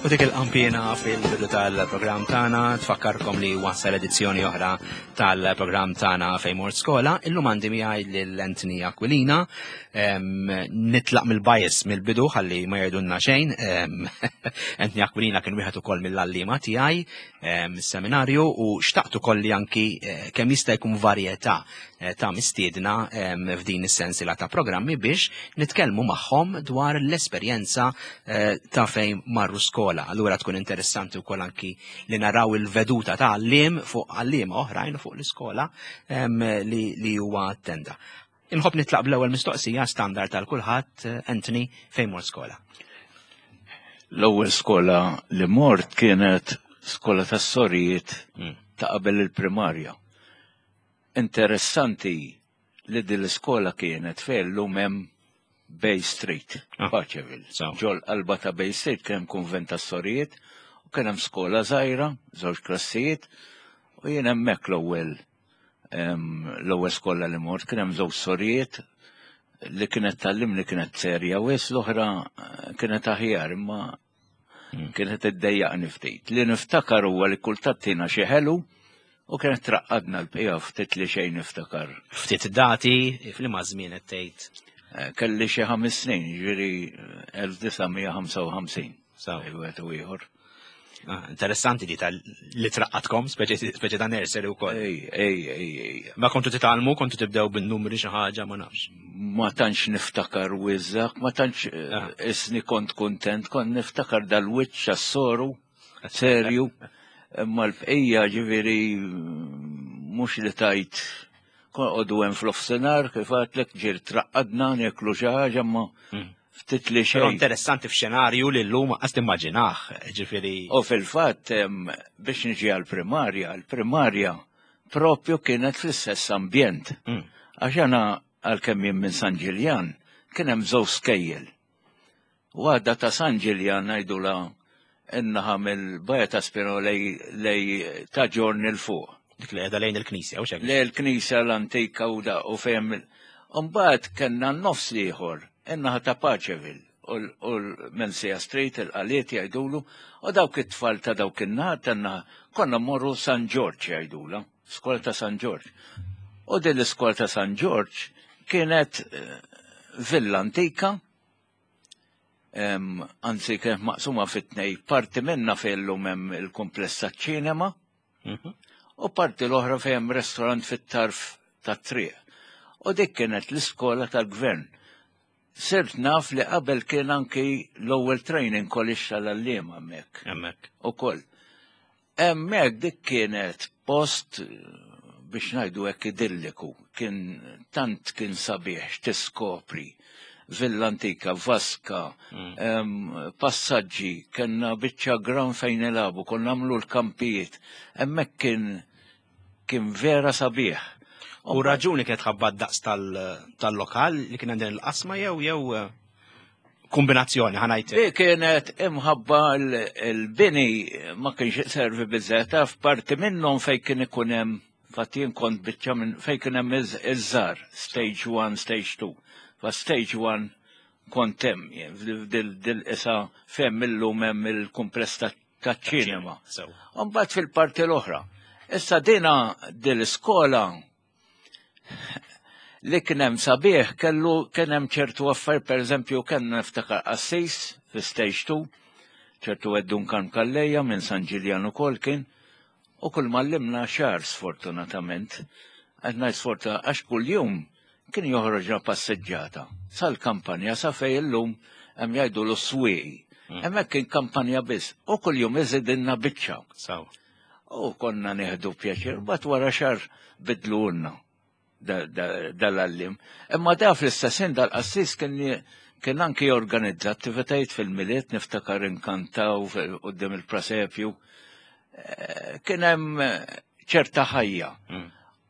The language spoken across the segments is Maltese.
U dik il-qampina fil-bidu tal-programm tagħna tfakkarkom li wasal edizzjoni oħra tal-programm tagħna fejn mort skola. Illum għandi miegħi lil Anthony Aquilina. Nitlaq mill-bias mill-bidu ħalli ma jgħidulna xejn. Anthony Aquilina kien wieħed ukoll mill-għalliema tiegħi seminarju u xtaqt ukoll li anki eh, kemm jista' jkun varjetà eh, ta' mistiedna f'din is-sensiela ta' programmi biex nitkellmu magħhom dwar l-esperjenza eh, ta' fejn marru skola. Allura tkun interessanti wkoll anki li naraw il-veduta ta' għalliem fuq għalliema oħrajn fuq l-iskola li huwa attenda. Inħobb nitlaq bl-ewwel mistoqsija standard tal kulħadd, eh, Anthony, fejn mort skola? L-ewwel skola li mort kienet skola tas-sorijiet hmm. ta' qabel il-primarja. Interessanti li din l-iskola kienet fejn llum hemm Bay Street, ah. Paceville. Ġol qalba ta' Bay Street kien hemm kunvent tas-sorijiet u kien hemm skola żgħira, żewġ klassijiet, u jien hemmhekk l-ewwel l-ewwel skola li mort kien hemm żewġ sorijiet li kienet tallimni kienet serja wis l-oħra eh, kienet aħjar imma hmm. kienet iddejjaqni ftit. Li niftakar huwa li kultant tina xi ħelu u kienet traqqadna l-bqija ftit li xejn niftakar. Ftit dati f'liema żmien qed tgħid? Eh, kelli xi ħames snin, ġifieri 1955. Saw. Wieħed u ieħor. Ah, interessanti di tal li traqqatkom, speċi ta' nursery wkoll. Ej, ej, ej, ej. Ma kontu titgħallmu, kontu tibdew bin-numri xi ħaġa, ma nafx. Ma tantx niftakar wiżżak, ma tantx eh, ah. isni kont kuntent, kont niftakar dal-wiċċ għas-soru, serju, imma l-bqija ġifieri mhux li tajt Kon hemm fl-offsenar kif għatlek ġir traqqadna nieklu xi ħaġa ma hmm. ftit li xejn. Però interessanti f'xenarju li llum qas timmaġinah, ġifieri. U fil-fatt biex niġi għall-primarja, l-primarja propju kienet fl-istess ambjent. Hmm. Għax għana għalkemm jien minn San Ġiljan kien hemm żewġ skejjel. Waħda ta' San Ġiljan ngħidula in-naħa mill-Baja ta' Spino lej ta' ġorn il fuq. Dik li qiegħda lejn il-knisja, u xek? Lej il-knisja l-antika u da u fejn. Umbagħad kellna n-nofs l-ieħor, in-naħa ta' Paceville u l-Mensija Street, il-qaliet jgħidulu, u dawk it-tfal ta' dawk in-naħa tan-naħa konna mmorru San Ġorġ jgħidula, skola ta' San Ġorġ. U din l-iskola ta' San Ġorġ kienet eh, villa antika anzi kienet maqsuma fit-tnej, parti minna fejn llum hemm il-kumpless taċ-ċinema mhm. u parti l-oħra fejn hemm restorant fit-tarf tat-triq. U dik kienet l-iskola tal-gvern. Sirt naf li qabel kien anki l-ewwel training college tal-għalliem hemmhekk. Hemmhekk. Ukoll. Hemmhekk dik kienet post biex ngħidu hekk idilliku, kien tant kien sabiħ x'tiskopri. Villa antika, vaska, mm. passaġġi, kellna biċċa gran fejn nilagħbu, konna nagħmlu l-kampijiet. Hemmhekk kien kien vera sabiħ. U raġuni kienet ħabba daqs tal-lokal li kien għandin il-qasma jew jew eh, kombinazzjoni ħanajt. Li kienet imħabba l-bini ma kienx servi biżżejjed taf parti minnhom fejn kien ikun hemm fatt jien kont biċċa minn fejn kien hemm iż-żar stage 1, stage 2. Fa stage 1 kont hemm dil-isa fejn illum hemm il-kumpless taċ-ċinema. Mbagħad fil-parti l-oħra. Issa dina dil-iskola Li kien hemm sabiħ kellu kien hemm ċertu affarijiet, pereżempju kellna niftakar qassis fi stage 2, ċertu Eddun Karm Calleja minn San Ġiljan ukoll kien, u kull m'għallimna xahar sfortunatament. Qed ngħid sfortunat għax kuljum kien joħroġna passeġġata sal-kampanja sa fejn illum hemm jgħidulu s-swieqi. Mm. Hemmhekk kien kampanja biss u kuljum iżidilna biċċa. U konna nieħdu pjaċir, bat wara xar bidlulna dal-għallim. Imma da fl-istess ħin dal-qassis kien kien anki jorganizza attivitajiet fil-miliet, niftakar inkantaw quddiem il-presepju. Eh, kien hemm ċerta ħajja. Mm.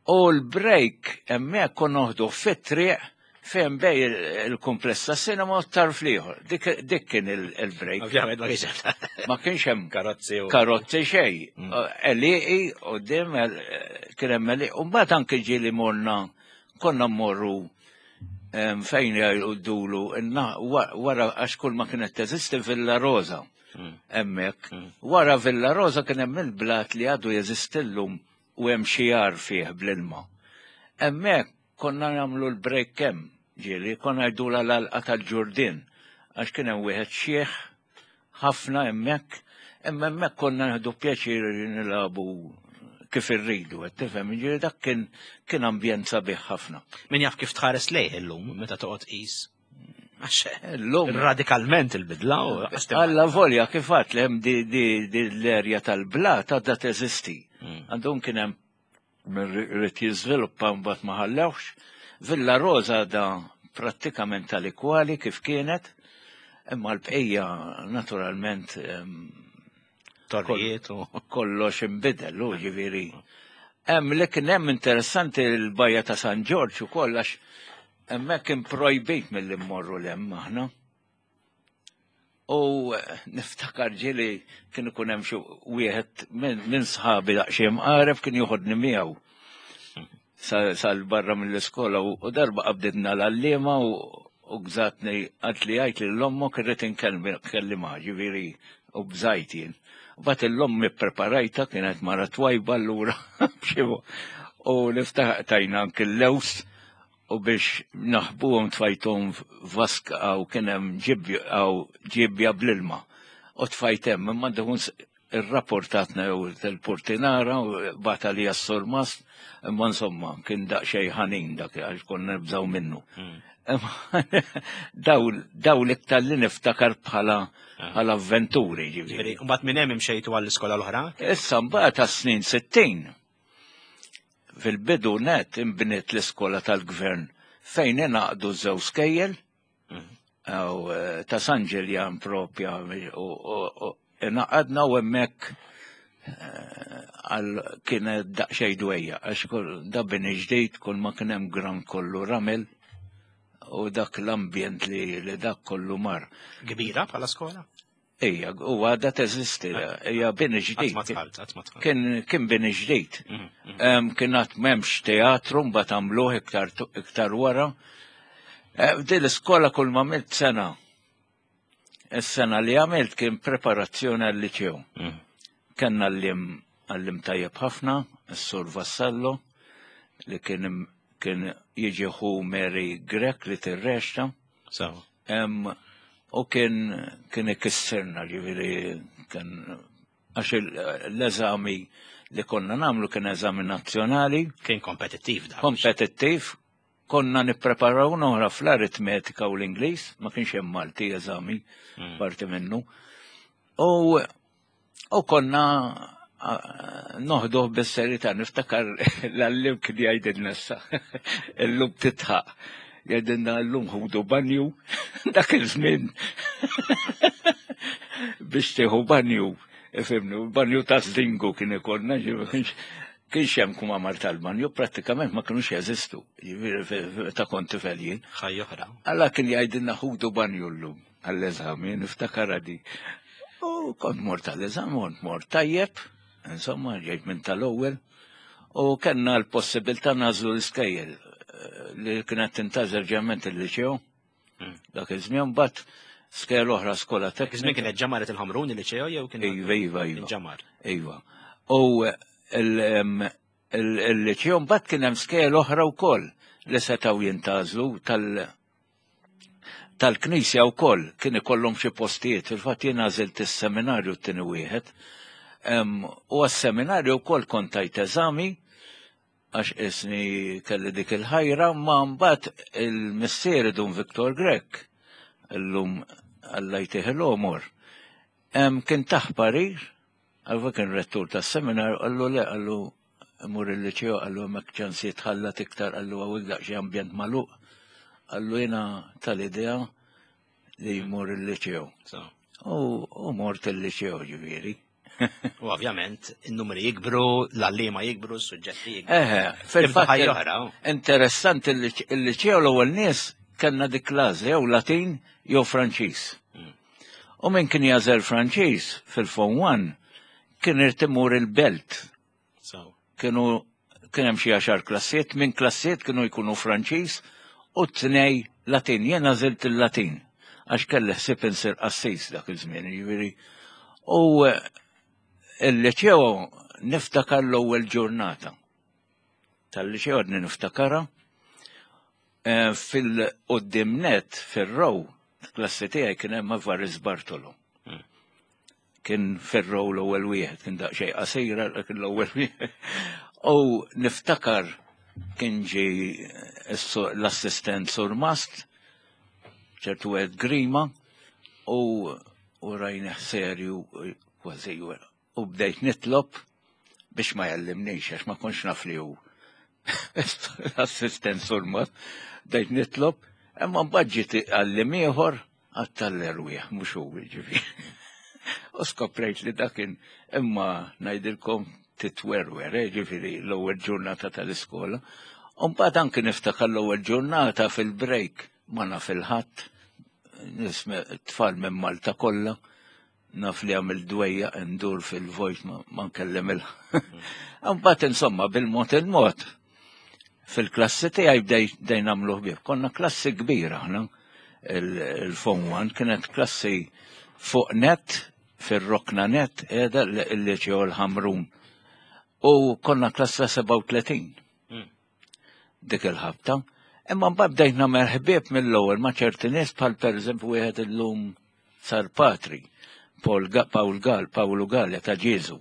U l-break hemmhekk konna noħdu fit-triq fejn bej il-kumpless ta' sinema u tarf liħor. Dik kien il-break. Ovvjament ma kienx hemm. Ma kienx hemm karozzi. Karozzi xej. Mm. Eliqi u dim kien hemm eliqi. U mbagħad anke ġieli morna konna mmorru fejn jgħidulu wara għax kull ma kienet teżisti Villa Rosa. Hemmhekk. Wara Villa Rosa kien hemm il-blat li għadu jeżisti llum u hemm xi għar fih bl-ilma. Hemmhekk konna nagħmlu l-break hemm, ġieli, konna ngħidulha l-għalqa tal-ġurdien għax kien hemm wieħed xiħ ħafna hemmhekk, imma hemmhekk konna nieħdu pjaċir nilagħbu kif irridu, qed tifhem, ġieli dak kien kien ambjent sabiħ ħafna. Min jaf kif tħares lejh illum meta toqgħod qis. Għax Illum radikalment il-bidla u Alla volja kif għat li hemm di, di, di l-erja tal-blat għadha teżisti. Għandhom kien hemm min ried jiżviluppa mbagħad ma ħallewx. Villa Rosa għadha prattikament tal-ikwali kif kienet, imma l-bqija naturalment Torrijiet u kollox inbidel, u ġifieri. Hemm li kien hemm interessanti l-bajja ta' San Ġorġ ukoll għax hemmhekk kien projbit milli mmorru 'l hemm aħna. U niftakar ġieli kien ikun hemm xi wieħed minn sħabi daqsxejn mqareb kien joħodni miegħu sal barra mill-iskola u darba qabditna l-għalliema u gżatni għad li għajt li l-ommok irrid inkellimha ġifieri u bżajt jien. Bat l-ommi preparajta kienet mara twajba allura u niftakar tajna anki l-lews u biex naħbuhom tfajthom f'vaska u kien hemm ġibbja bl-ilma u tfajt hemm imma dun irrapportatna jew il-portinara u bata li s-surmast imma insomma kien daqsxejn ħanin dak għax konna nibżgħu minnu. Daw l-iktar li niftakar bħala bħala avventuri ġifieri. Mbagħad minn hemm imxejtu għall-iskola l-oħra? Issa mbagħad għas-snin 60 fil-bidu net inbniet l-iskola tal-gvern fejn ingħaqdu żewġ skejjel u ta' San Ġiljan propja u ingħaqadna u hemmhekk għal kienet daqsxejn dwejja għax da bini ġdid kull ma kien hemm ground kollu ramel u dak l-ambjent li dak kollu mar. Kbira bħala skola? Ija, u għadha teżisti, hija bini ġdid. Kien, kien bini ġdid. Kien għad m'hemmx teatru, mbagħad għamluh iktar, iktar wara. Eh, din l-iskola kull ma għamilt sena. Is-sena li għamilt kien preparazzjoni għal-liċew. Kenna għallim għallim tajjeb ħafna, is-Sur Vassallo, li kien kien jiġi ħu Mary Grech li tirrexta. So. U kien kien ikissirna ġifieri kien għax l-eżami li konna nagħmlu kien eżami nazzjonali. Kien kompetittiv da. Kompetittiv. Konna nippreparaw noħra fl-aritmetika u l-Ingliż, ma kienx hemm Malti eżami parti minnu. U U konna noħduh bis-serjetà, niftakar l-għallim kien jgħidilna issa, illum titħaq. Jgħidilna llum ħudu banju, dak iż-żmien biex tieħu banju, ifhimni, banju ta' żdingu kien ikollna, kienx hemm kmamar tal-banju, prattikament ma kinux jeżistu, jiġifieri ta' kont tifel jien. Ħajja oħra. Alla kien jgħidilna ħudu banju llum. Għall-eżami, niftakar di. U kont mort għall-eżami, kont mort tajjeb, insomma, ġejt minn tal-ewwel, u kellna l-possibilità nagħżlu l-iskejjel eh, li kienet tintażel ġemment il-liċew. Dak iż-żmien mbagħad skejjel oħra skola teknika. Iż-żmien kienet ġamaret il-Ħamrun il-liċew jew kien Iva, iva, iva. Ġamar. Iva. U il-liċew mbagħad kien hemm skejjel oħra wkoll li setgħu jintgħażlu tal- tal-Knisja wkoll kien ikollhom xi postijiet, fil-fatt jien għażilt is-seminarju t-tieni wieħed. U għas-seminarju wkoll kont tajt eżami għax isni kelli dik il-ħajra, ma mbagħad il-missieri Dun Victor Grech, illum Alla jtih l-għomor, kien tah parir, għalfa kien rettur tas-seminar, qallu le, qallu Imur il-liċeo qallu hemmhekk ċans jitħallat iktar qallu hawnhekk daqsxejn ambjent magħluq. Qallu jiena tal-idea li jmur il-liċeo. U mort il-liċeo ġifieri. U ovvjament, in-numri jikbru, l-għalliema jikbru, s-suġġetti jikbru. Eħe, fil-fatt. Interessanti il-liċeo l-ewwel nies kellna dik l-għażla jew Latin jew Franċiż. U min kien jagħżel Franċiż fil-Form 1 kien irid imur il-belt. Kienu kien hemm xi għaxar klassijiet, minn klassijiet kienu jkunu Franċiż u tnej Latin. Jien għażilt il-Latin għax kelli ħsieb insir qassis dak iż-żmien, jiġifieri. U eh, il-liċeo niftakar l-ewwel ġurnata. Tal-liċeo għadni niftakara eh, fil-qoddim net fir-row klassi tiegħi kien hemm Avaris Bartolo. Kien fir-row l-ewwel wieħed, kien daqsxejn qasira kien l-ewwel wieħed. U niftakar kien ġi l-assistent Sur Mast, ċertu għed Grima, u u rajnih serju kważi u bdejt nitlob biex ma jallimnix għax ma kontx naf li hu l-assistent surmat, bdejt nitlob, imma mbagħad ġiet għallim ieħor għad tal-erwieħ mhux hu jiġifieri. U skoprejt li dakin imma ngħidilkom titwerwer, eh, ġifieri l-ewwel ġurnata tal-iskola. U mbagħad anki niftakar l-ewwel ġurnata fil-break ma naf il-ħadd, nisme tfal minn Malta kollha, naf li għamil dwejja ndur fil-vojt ma nkellem il Mbagħad insomma bil-mod il-mod fil-klassi tiegħi bdejn nagħmlu ħbieb. Konna klassi kbira aħna il-Form 1 kienet klassi fuq net fir-rokna net qiegħda l-liceo l-Ħamrun. U konna klassa 37. Dik il-ħabta. Imma mbagħad bdejt nagħmel ħbieb mill-ewwel ma' ċerti nies bħal pereżempju wieħed illum sar patri, Paul Paul Gal, Pawlu Galea ta' Ġieżu.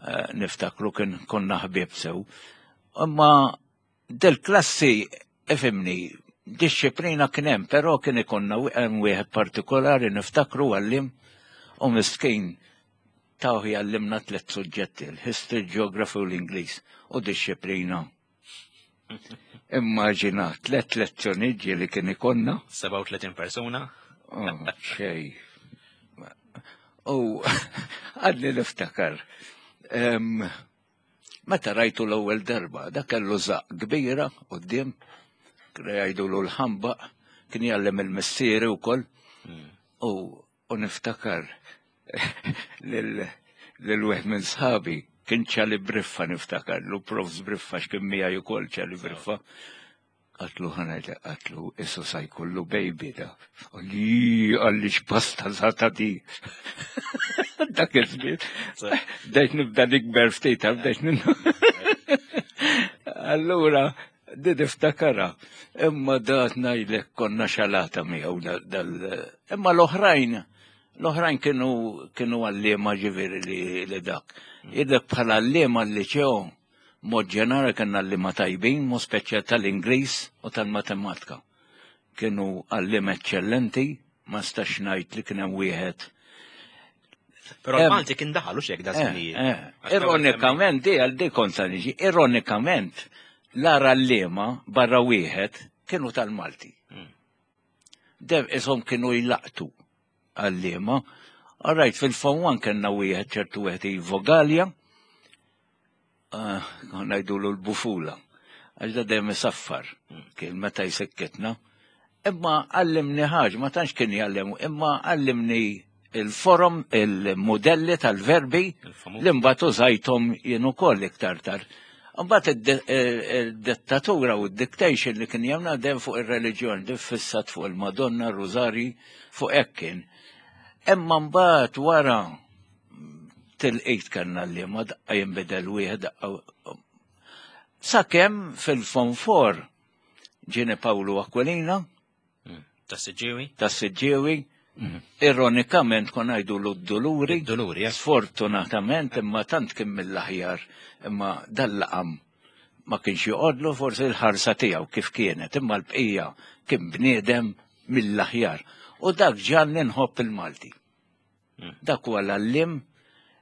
Eh, niftakru kien konna ħbieb sew. Imma del-klassi ifimni, disċiplina kien hemm, però kien ikonna hemm wieħed partikolari niftakru għallim u miskin tawh jgħallimna tliet suġġetti, l-history, geography u l-Ingliż u disċiplina. Immaġina tliet lezzjonijiet li kien ikonna. 37 persuna. Oh, xej. U għadni niftakar. Meta rajtu l-ewwel darba, dak kellu żaq kbira quddiem, kienu jgħidulu l-ħambaq, kien jgħallem il-missieri wkoll. U u niftakar lil wieħed minn sħabi kien ċali briffa niftakar, lu profs briffa x'kien miegħi ukoll ċali briffa. Għatlu ħanajt għatlu issu sa jkollu baby da. Għalli għalli x'pasta zata di. Dak iż-żmien. Bdejt nibda nikber ftit, bdejt ninnu. Allura, di niftakara. Imma dat ngħidlek konna xalata miegħu dal. Imma l-oħrajn, l-oħrajn kienu kienu għalliema ġifieri li dak. Idek bħala għalliema l-liċeo Mod ġenerali kellna għalliema tajbin, mod speċjal tal-Ingliż u tal-Matematika. Kienu għalliema eċċellenti, ma nistax ngħid li kien hemm wieħed. Però l-Malti kien daħal u xek da eh, żminijiet. Eh, ironikament, di għal di kont sa niġi, ironikament, l-ara għalliema barra wieħed kienu tal-Malti. Dem ishom kienu jlaqtu għalliema. All right, fil-Form 1 kellna wieħed ċertu wieħed Ivo Gallia, ah, ngħidulu l-bufula, għax da dejjem isaffar, kien meta jsekkitna. Imma għallimni ħaġa, ma tantx kien jgħallem, imma għallimni il-forom, il-modelli tal-verbi li mbagħad użajthom jien ukoll iktar tard. Mbagħad id-dettatura u d-dictation li kien jagħmel dejjem fuq ir-reliġjon, din fissat fuq il-Madonna, r-Rużarji, fuq hekk kien. Imma mbagħad wara tilqit kellna li ma daqqa jinbidel wieħed daqqa. Sakemm fil-fonfor ġieni Pawlu Aquilina, Tas-Siġġiewi? Tas-Siġġiewi. Mhm. Ironikament kon għajdu l-Duluri. Duluri, eh. Sfortunatament imma tant kien mill-aħjar imma dal-laqam ma kienx joqodlu forsi l-ħarsa tiegħu kif kienet imma l-bqija kien bniedem mill-aħjar. U dak ġan nħobb il-Malti. Mm. Dak huwa l-għallim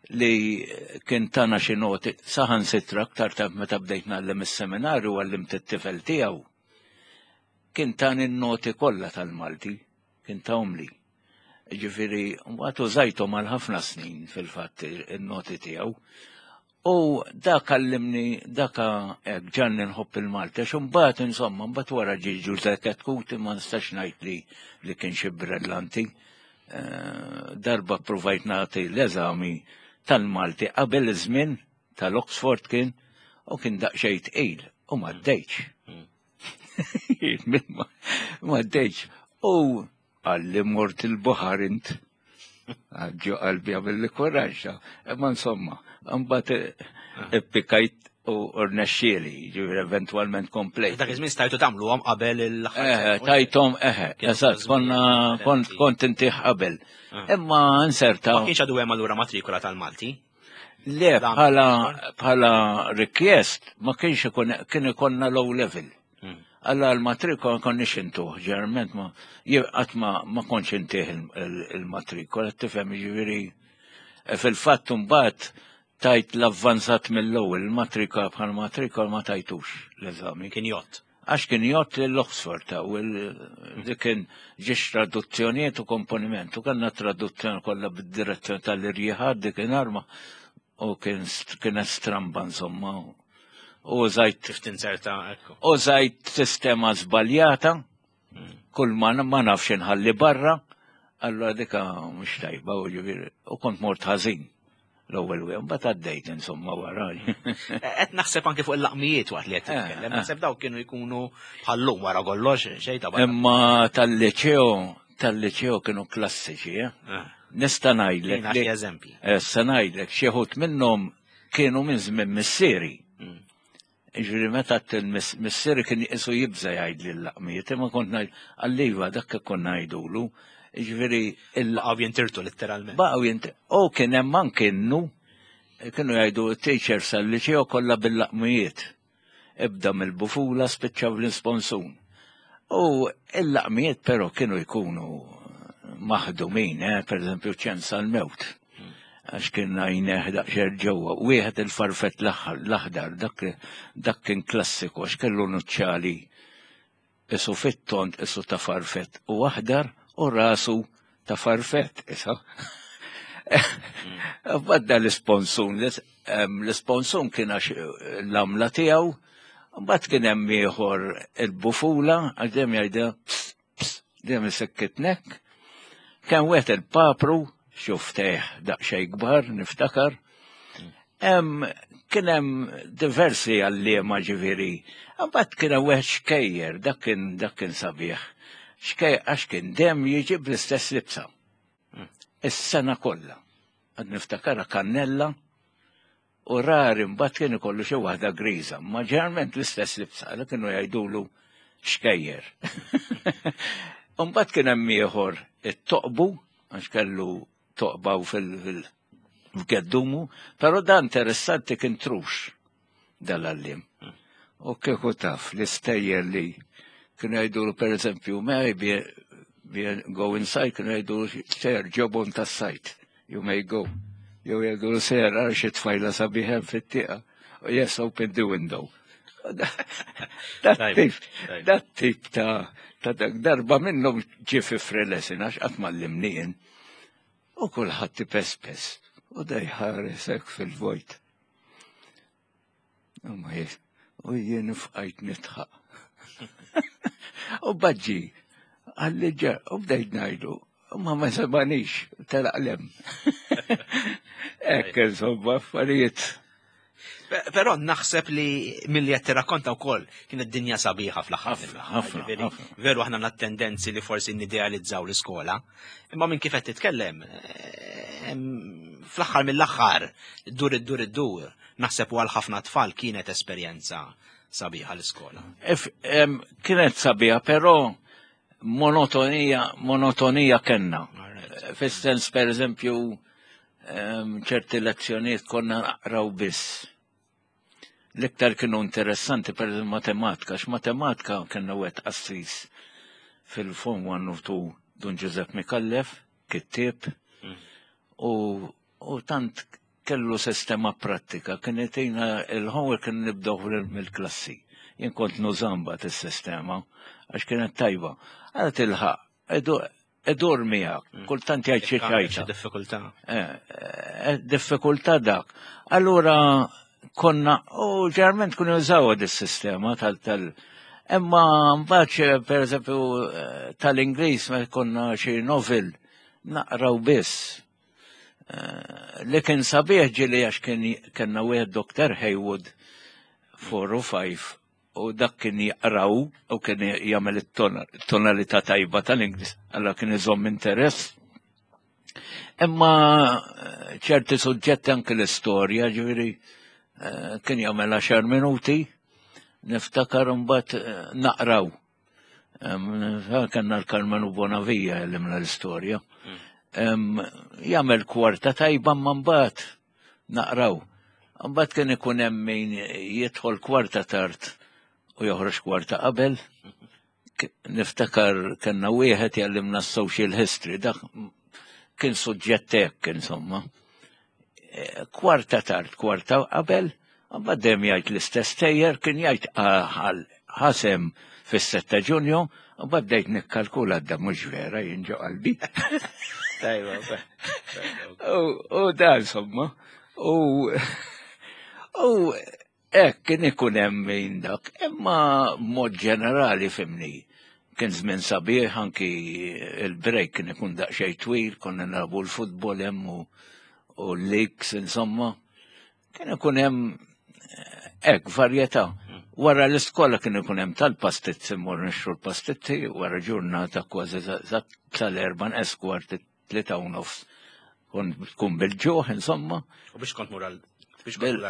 li kien tana xi noti saħan sitra aktar tard meta bdejt ngħallem is-seminarju għallimt it-tifel tiegħu. Kien tani n-noti kollha tal-Malti, kien tahomli. Ġifieri, mbagħad użajthom għal ħafna snin fil-fatt in-noti tiegħu. U dak għallimni, dak hekk ġanni nħobb il-Malti, għax imbagħad insomma, mbagħad wara ġie Ġużè Chetcuti ma nistax ngħid li li kien xi brillanti. Eh, darba provajt nagħti l-eżami tal-Malti qabel iż-żmien tal-Oxford kien u kien daqsxejn tqil u ma ddejtx. Hmm. Ma ddejtx. U għalli mort il-baħar int. Ġo qalbi għamilli kuraġġ, imma insomma, mbagħad ippikajt u rnexxieli, ġifieri eventwalment komplejt. Dak iż-żmien stajtu tagħmluhom qabel il-aħħar. Eh, tajthom, eh, eżatt, konna kont intih qabel. Ah. Imma inserta. Ma kienx għadu hemm allura matrikola tal-Malti? Le, bħala bħala request ma kienx ikun kien ikollna low level. Hmm. Alla l-matrikola konniex intuh, ġeneralment ma qatt ma ma kontx intih il-matrikola, tifhem jiġifieri eh, fil-fatt imbagħad tajt l-avvanzat mill-ewwel, il-matrikola bħal matrikola ma tajtux l-eżami. Kien jott. Għax kien jott l-Oxford ta' u dik kien ġiex traduzzjonijiet u komponiment u kellna traduzzjoni kollha bid-direzzjoni tal-irjiħad dik arma u kien kienet stramba insomma. U użajt Kif tinzerta ekku. Użajt sistema żbaljata, kull ma ma nafx inħalli barra, allura dika mhux tajba u ġifieri u kont mort ħażin l-ewwel wieħed, mbagħad għaddejt insomma wara. Qed naħseb anke fuq il-laqmijiet waqt li qed titkellem, eh, eh. naħseb dawk kienu jkunu bħallum wara kollox xejn ta' Imma tal-liċeo, tal-liċeo kienu klassiċi, eh? Nista' ngħidlek. Eżempji. Issa ngħidlek xi ħut minnhom kienu minn żmien missieri. Mm. Ġifieri meta missieri kien jisu jibża jgħidli l-laqmijiet, imma kont ngħid għalliva dak konna ngħidulu. Ġifieri il Baqgħu jintirtu letteralment. Baqgħu jintirtu. U kien hemm anke innu kienu jgħidu t-teachers tal-liċeo kollha bil-laqmijiet. Ibda mill-bufula spiċċa bl-insponsun. U il-laqmijiet però kienu jkunu maħdumin, eh, per eżempju ċens għal-mewt. Għax kien għajneħ daqxer ġewwa. Wieħed il-farfett l-aħdar, dak kien klassiku għax kellu nuċċali isu fit-tond isu ta' farfett u aħdar u rasu ta' farfett isa. Badda l-isponsun, l-isponsun kien għax l-għamla tiegħu, mbagħad kien hemm ieħor il-bufula għax dejjem jgħidha dejjem isekkitnek. Kien wieħed il-papru, xuftejh daqsxejn kbar, niftakar. Kien hemm diversi għalliema ġifieri. Mbagħad kien hemm wieħed xkejjer, dak kien dak kien sabiħ. Xkejjer għax kien dejjem jiġi bl-istess libsa. Is-sena kollha. Għad niftakarha kannella U rari mbagħad kien ikollu xi waħda griża, ma ġeneralment l-istess libsa, li kienu jgħidulu xkejjer. Mbagħad kien hemm ieħor it-toqbu, għax kellu toqbaw fil-geddumu, però dan interessanti kien trux dal-għallim. U kieku taf l-istejjer li kienu jgħidulu per eżempju, may be, be go inside, kienu jgħidulu ser ġobon tas-sajt. You may go. Jew jgħidu ser għal xi tfajla sabiħem fit-tieqa. Yes, open the window. Dat tip ta' ta' dak darba minnhom ġie fi frelesin għax qatt mallimnien. U kulħadd ipespes u dejħares hekk fil-vojt. U jien fqajt nitħaq. U baġġi, għalli ġa, u bdejt najdu, ma ma sebanix, telaq lem. Ekk, insomma, affarijiet. Però naħseb li milli qed tirrakkonta wkoll kienet dinja sabiħa fl-aħħar. Ħafna, Veru aħna għandna tendenzi li forsi nidealizzaw l-iskola, imma minn kif qed titkellem, eh, fl-aħħar mill-aħħar, dur id-dur id-dur, naħseb u għal ħafna tfal kienet esperjenza sabiħa l-iskola. Kienet sabiħa, però monotonija, monotonija kenna. Fis-sens, per eżempju, ċerti lezzjonijiet konna naqraw biss. L-iktar kienu interessanti per eżempju matematika, għax matematika kellna wieħed qassis fil-Form 1 u 2 Dun Giuseppe Mikallef, kittieb, mm. u, u tant kellu sistema prattika, kien itina il-homework kien nibdew mill-klassi. Jien kont nużamba is-sistema għax kienet tajba. Għal tilħaq, idur miegħek, mm. kultant jgħid xi ċajta. Diffikultà. Eh, eh, diffikultà dak. Allura konna, u ġerment kunu jużaw dis-sistema tal tal Imma mbagħad per eżempju eh, tal-Ingliż ma konna xi novel naqraw biss. Li kien sabiħ ġili għax kien kellna wieħed Dr. Haywood 4 u 5 u dak kien jaqraw u kien jagħmel it-tonalità tajba tal-Ingliż, alla kien iżomm interess. Imma eh, ċerti suġġetti anke l-istorja, ġifieri eh, kien jagħmel 10 minuti, niftakar imbagħad eh, naqraw. Kanna l-Karmenu Bonavija jgħallimna l-istorja. Hmm. Jagħmel kwarta tajba ma mbagħad naqraw. Mbagħad kien ikun hemm min jidħol kwarta tard u joħroġ kwarta qabel. Niftakar kellna wieħed jgħallimna social history, dak kien suġġett hekk insomma. E, kwarta tard, kwarta qabel, mbagħad dejjem jgħid l-istess tejjer, kien jgħid ħasem fis-7 ta' Ġunju, mbagħad bdejt nikkalkula da mhux vera jien ġo qalbi. Tajba, U da insomma, u u Hekk kien ikun hemm min dak, imma mod ġenerali fimni. Kien żmien sabiħ anki il-break kien ikun daqsxejn twil, konna nilagħbu l-futbol hemm u, u l-leaks insomma. Kien ikun hemm eh, hekk varjetà. Wara l-iskola kien ikun hemm tal-pastizzi mmur nixtru l-pastizzi wara ġurnata kważi tal-erba' nqes kwart 3:30 tkun bil-ġuħ, insomma. U biex kont mur għal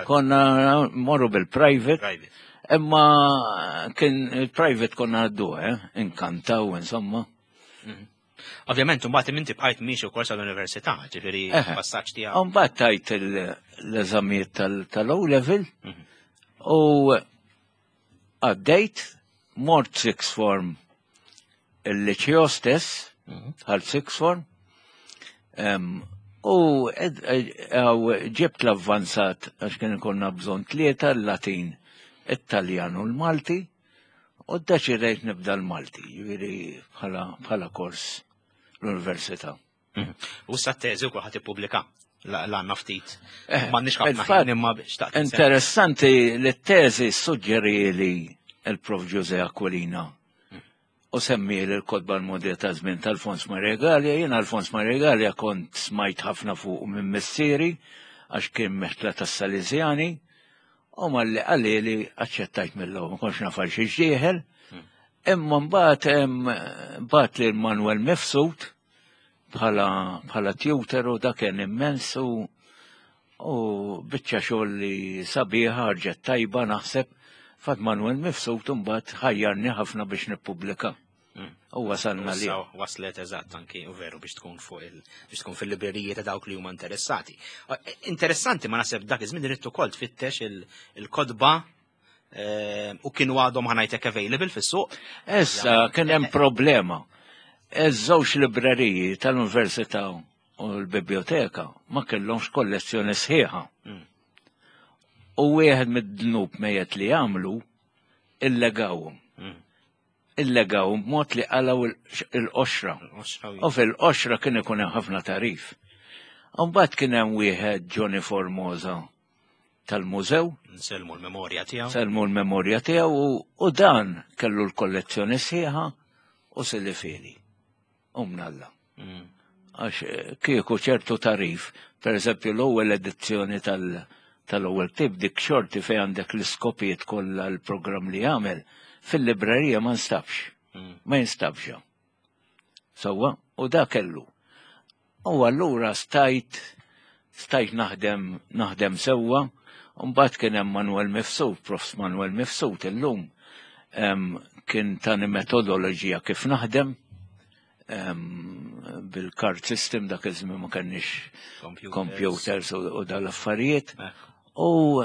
Konna morru bil-private. Imma kien il-private konna għaddu, eh? Inkantaw, insomma. Mhm. Ovvjament, mbagħad inti bqajt miexi wkoll sal-università, ġifieri passaġġ tiegħek. Mbagħad tajt l-eżamijiet tal-O level mhm. u Għaddejt, mort sixth form il-liċeo stess, mhm. għal sixth form, u ġibt l-avvanzat għax kien ikonna bżon tlieta l-Latin, it-Taljan u l-Malti, u ddeċidejt nibda l-Malti, ġifieri bħala kors l-università. Mhm. U sa teżi wkoll ħadd ippubblika l-għanna ftit. Eh, M'għandniex ħafna ħin imma xtaqt. Interessanti li t-teżi suġġeri li il-Prof Ġuże Aquilina u semmi l-kodba l-modja ta' żmien tal-Alfons Maria Gallia. Jien Alfons Maria Gallia kont smajt ħafna fuq minn missieri għax kien meħtla tas-Salesjani u malli qalli li aċċettajt mill-ewwel ma kontx naf għal xi ġdieħel. Hmm. Imma mbagħad bagħat lil Manuel Mifsud bħala bħala tutor u dak kien immens u u biċċa xogħol li sabiħa ħarġet tajba naħseb fat Manuel Mifsud imbagħad ħajjarni ħafna biex nippubblika. Hmm. U wasalna li. Waslet eżatt anki u veru biex tkun fuq il biex tkun fil-libreriji ta' dawk li huma interessati. Interessanti ma naħseb dak iż-żmien irid ukoll tfittex il-kodba eh, u kienu għadhom ħanajtek available fis-suq. Issa kien hemm problema. Iż-żewġ libreriji tal-Università u l-Biblioteka ma kellhomx kollezzjoni sħiħa. Hmm. U wieħed mid-dnub mejjet li għamlu illegawhom. Hmm. Illegawhom b'mod li qalgħu il-qoxra. U fil-qoxra kien ikun hemm ħafna tarif. Mbagħad kien hemm wieħed Johnny Formosa tal-mużew. Nsellmu l-memorja tiegħu. Sellmu l-memorja tiegħu u dan kellu l-kollezzjoni sħiħa u silifili. U mnalla. Mm. Għax eh, kieku ċertu tarif, per eżempju l-ewwel edizzjoni tal- tal-ewwel ktib dik xorti fejn għandek l-iskopijiet kollha l-programm li jagħmel fil-librerija ma nstabx. Mm. Ma jinstabx. Sewwa, u da kellu. U allura stajt stajt naħdem naħdem sewwa, u mbagħad kien hemm Manuel Mifsud, Profs Manuel Mifsud illum kien tani metodoloġija kif naħdem bil-card system dak iż-żmien ma kenniex computers u dal-affarijiet. U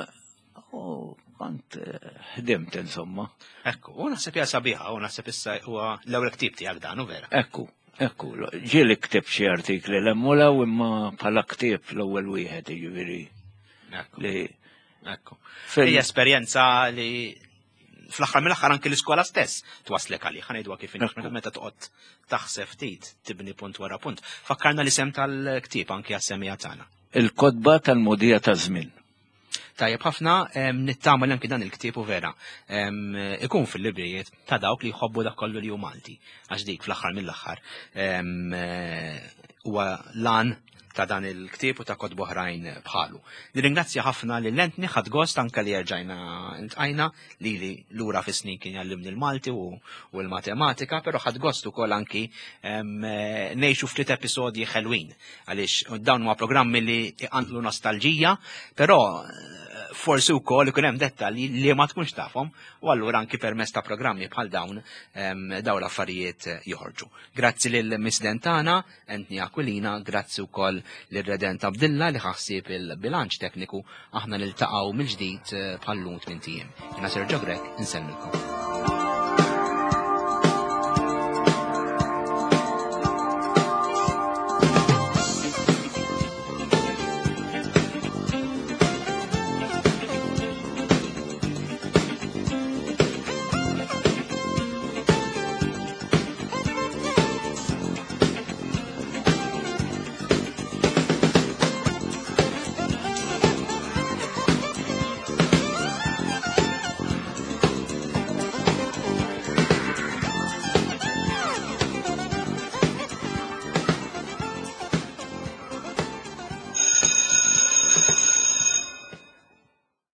U kont eh, ħdimt insomma. Ekku, u naħseb hija sabiħa, u naħseb issa huwa l-ewwel ktieb tiegħek dan, u vera. Ekku, ekku, ġieli ktib xi artikli l-emmulaw imma bħala ktieb l-ewwel wieħed jiġifieri. Ekku. Ekku. Hija esperjenza li fl-aħħar mill-aħħar anki l-iskola stess twaslek għalih, ħa kif inhi meta toqgħod taħseb ftit tibni punt wara punt. Fakkarna l-isem tal-ktieb anki għas-semija tagħna. Il-kotba tal-mogħdija taż-żmien. Tajjeb ħafna, nittama li anki dan il-ktieb u vera ikun fil-librijiet ta' dawk li jħobbu dak kollu li hu Malti. Għax dik fl-aħħar mill-aħħar eh, huwa lan ta' dan il-ktieb u ta' kotba oħrajn bħalu. Nirringrazzja ħafna lil Anthony ħadd gost anke li erġajna ntqajna li li lura fis-snin kien jgħallimni l-Malti u, u l-matematika, però ħadd gost ukoll anki ngħixu ftit episodji ħelwin għaliex dawn huma programmi li iqanqlu nostalġija, però eh, forsi wkoll ikun hemm dettalji li ma tkunx tafhom u allura anki permezz ta' programmi bħal dawn dawn l-affarijiet joħorġu. Grazzi lil misden tagħna, Anthony Aquilina, grazzi wkoll lil Redent Abdilla li ħassib il-bilanċ tekniku aħna niltaqgħu mill-ġdid eh, bħal-lum tmien ijiem. Jiena Sergio Grech, insellmilkom.